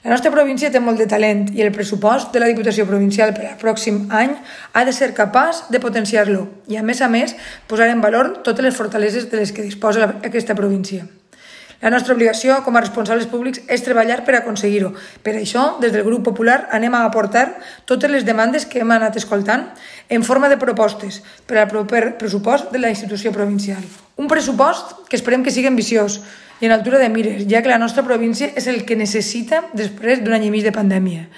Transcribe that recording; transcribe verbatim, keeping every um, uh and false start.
La nostra província té molt de talent i el pressupost de la Diputació Provincial per al pròxim any ha de ser capaç de potenciar-lo i, a més a més, posar en valor totes les fortaleses de les que disposa aquesta província. La nostra obligació com a responsables públics és treballar per aconseguir-ho. Per això, des del Grup Popular, anem a aportar totes les demandes que hem anat escoltant en forma de propostes per al proper pressupost de la institució provincial. Un pressupost que esperem que sigui ambiciós i en altura de mires, ja que la nostra província és el que necessita després d'un any i mig de pandèmia.